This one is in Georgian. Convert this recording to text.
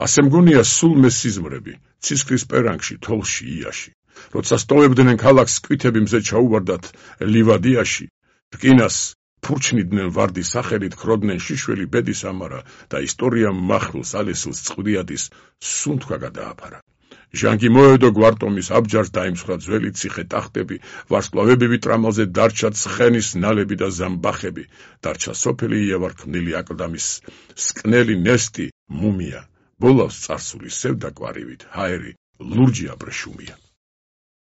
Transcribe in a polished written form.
ასე მგონია სულ მესიზმრები, ცისკრის პერანგში, თოლში, იაში. როცა სტოვებდნენ ქალაქს სკვითები მზე ჩაუვარდათ ლივადიაში, რკინას ფურჩნიდნენ ვარდის სახელით, ქროდნენ შიშველი ბედის ამარა და ისტორიამ მახვილს ალესილს წყვდიადის სუნთქვა გადააფარა. ჟანგი მოედო გვარტომის აბჯარს დაიმსხვრა ძველი ციხე ტახტები, ვარსკვლავებივით ტრამალზე დარჩა ცხენის ნალები და ზამბახები, დარჩა სოფელი იევარქმნილი აკლდამის სკნელი ნესტი, მუმია, ბოლავს წარსული სევდა კვარივით, ჰაერი ლურჯი აბრეშუმია.